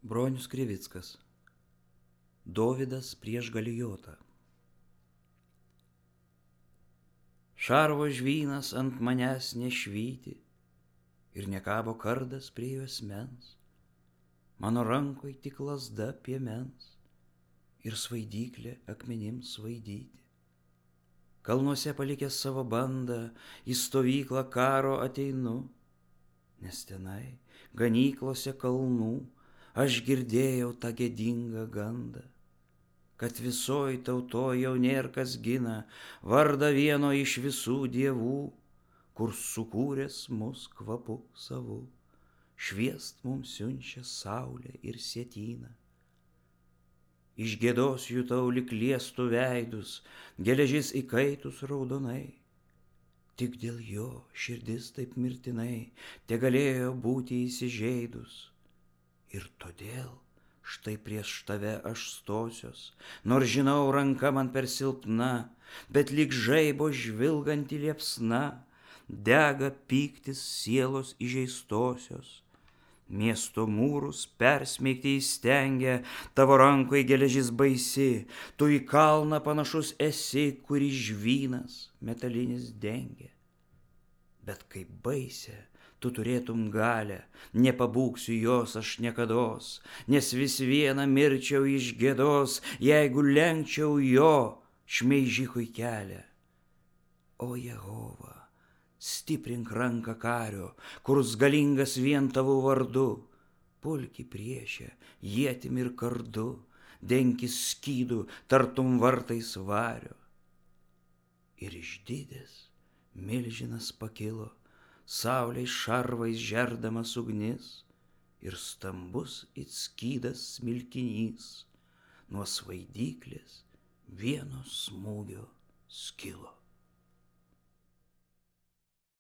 Bronius Krivickas. Dovydas prieš Galijotą. Šarvo žvynas ant manęs nešvyti ir nekabo kardas prie juosmens, mano rankoj tik lazda piemens ir svaidyklė akmenims svaidyti. Kalnuose palikęs savo bandą, į stovyklą karo ateinu, nes tenai ganyklose kalnų aš girdėjau tą gėdingą gandą, kad visoj tautoj jau nėr kas gina vardą vieno iš visų dievų, kur sukūręs mus kvapu savu, šviest mums siunčia saulę ir sietyną. Iš gėdos jutau lyg liestų veidus, geležis įkaitus raudonai. Tik dėl jo širdis taip mirtinai tegalėjo būti įsižeidus. Ir todėl štai prieš tave aš stosios, nors žinau ranka man per silpna, bet lyg žaibo žvilganti liepsna dega pyktis sielos įžeistosios. Miesto mūrus persmeigti įstengia, tavo rankoj geležis baisi, tu į kalną panašus esi, kurį žvynas metalinis dengia. Bet kaip baisė, tu turėtum galę, nepabūksiu jos aš niekados, nes vis viena mirčiau iš gėdos, jeigu lenkčiau jo šmeižikui kelią. O Jehova, stiprink ranką kario, kurs galingas vien tavo vardu, pulki priešę, ietim ir kardu, denkis skydų, tartum vartais vario. Ir išdidęs milžinas pakilo, saulės šarvais žerdamas ugnis, ir stambus it skydas smilkinys nuo svaidyklės vieno smūgio skilo.